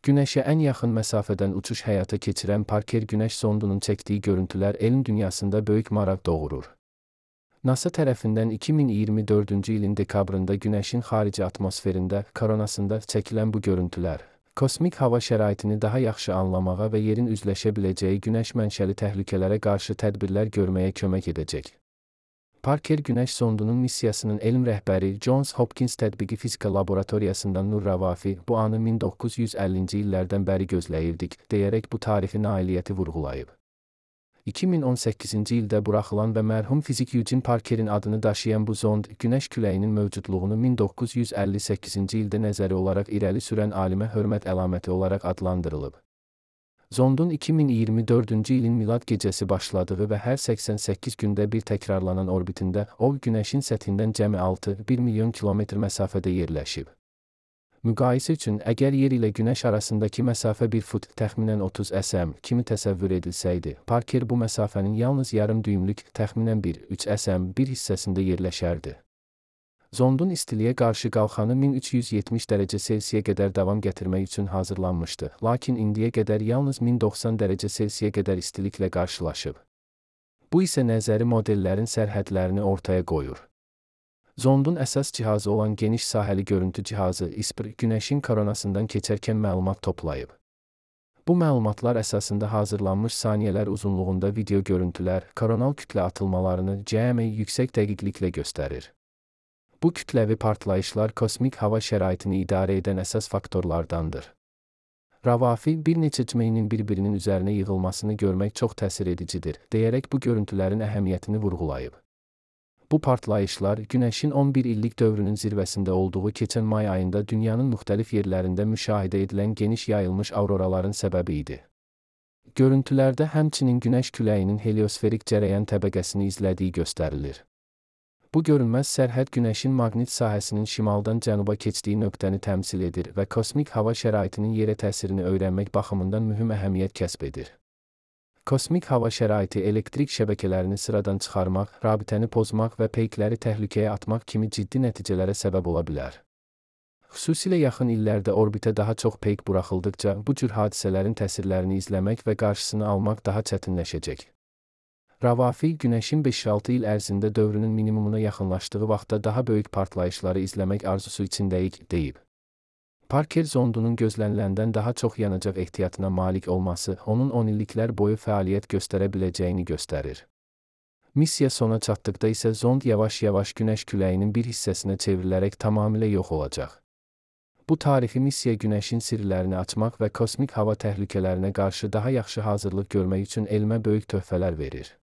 Günəşə ən yaxın məsafədən uçuş həyata keçirən Parker Günəş zondunun çəkdiyi görüntülər elm dünyasında böyük maraq doğurur. NASA tərəfindən 2024-cü ilin dekabrında Günəşin xarici atmosferində, koronasında çəkilən bu görüntülər, kosmik hava şəraitini daha yaxşı anlamağa və yerin üzləşə biləcəyi günəş mənşəli təhlükələrə qarşı tədbirlər görməyə kömək edəcək. Parker Günəş zondunun missiyasının elm rəhbəri Johns Hopkins Tətbiqi Fizika Laboratoriyasından Nur Ravafi bu anı 1950-ci illərdən bəri gözləyirdik, deyərək bu tarixi nailiyyəti vurğulayıb. 2018-ci ildə buraxılan və mərhum fizik Eugene Parkerin adını daşıyan bu zond, Günəş küləyinin mövcudluğunu 1958-ci ildə nəzəri olaraq irəli sürən alimə hörmət əlaməti olaraq adlandırılıb. Zondun 2024-cü ilin milad gecəsi başladığı və hər 88 gündə bir təkrarlanan orbitində o, Günəşin səthindən cəmi 6,1 milyon kilometr məsafədə yerləşib. Müqayisə üçün, əgər yer ilə Günəş arasındakı məsafə 1 fut, təxminən 30 sm kimi təsəvvür edilsəydi, Parker bu məsafənin yalnız yarım düymlük, təxminən 1,3 sm bir hissəsində yerləşərdi. Zondun istiliyə qarşı qalxanı 1370 dərəcə Selsiyə qədər davam gətirmək üçün hazırlanmışdı, lakin indiyə qədər yalnız 1090 dərəcə Selsiyə qədər istiliklə qarşılaşıb. Bu isə nəzəri modellərin sərhədlərini ortaya qoyur. Zondun əsas cihazı olan geniş sahəli görüntü cihazı ISPR, Günəşin koronasından keçərkən məlumat toplayıb. Bu məlumatlar əsasında hazırlanmış saniyələr uzunluğunda video görüntülər, koronal kütlə atılmalarını cəmi yüksək dəqiqliklə göstərir. Bu kütləvi partlayışlar kosmik hava şəraitini idarə edən əsas faktorlardandır. Ravafi, bir neçə cümlinin bir-birinin üzərinə yığılmasını görmək çox təsir edicidir, deyərək bu görüntülərin əhəmiyyətini vurğulayıb. Bu partlayışlar, Günəşin 11 illik dövrünün zirvəsində olduğu keçən may ayında dünyanın müxtəlif yerlərində müşahidə edilən geniş yayılmış auroraların səbəbi idi. Görüntülərdə həmçinin Günəş küləyinin heliosferik cərəyan təbəqəsini izlədiyi göstərilir. Bu görünməz sərhəd Günəşin maqnit sahəsinin şimaldan cənuba keçdiyi nöqtəni təmsil edir və kosmik hava şəraitinin yerə təsirini öyrənmək baxımından mühüm əhəmiyyət kəsb edir. Kosmik hava şəraiti elektrik şəbəkələrini sıradan çıxarmaq, rabitəni pozmaq və peykləri təhlükəyə atmaq kimi ciddi nəticələrə səbəb ola bilər. Xüsusilə yaxın illərdə orbitə daha çox peyk buraxıldıqca, bu cür hadisələrin təsirlərini izləmək və qarşısını almaq daha çətinləşəcək. Ravafi, Günəşin 5-6 il ərzində dövrünün minimumuna yaxınlaşdığı vaxtda daha böyük partlayışları izləmək arzusu içindəyik, deyib. Parker zondunun gözləniləndən daha çox yanacaq ehtiyatına malik olması, onun 10 illiklər boyu fəaliyyət göstərə biləcəyini göstərir. Missiya sona çatdıqda isə zond yavaş-yavaş Günəş küləyinin bir hissəsinə çevrilərək tamamilə yox olacaq. Bu tarixi missiya Günəşin sirlərini açmaq və kosmik hava təhlükələrinə qarşı daha yaxşı hazırlıq görmək üçün elmə böyük töhfələr verir.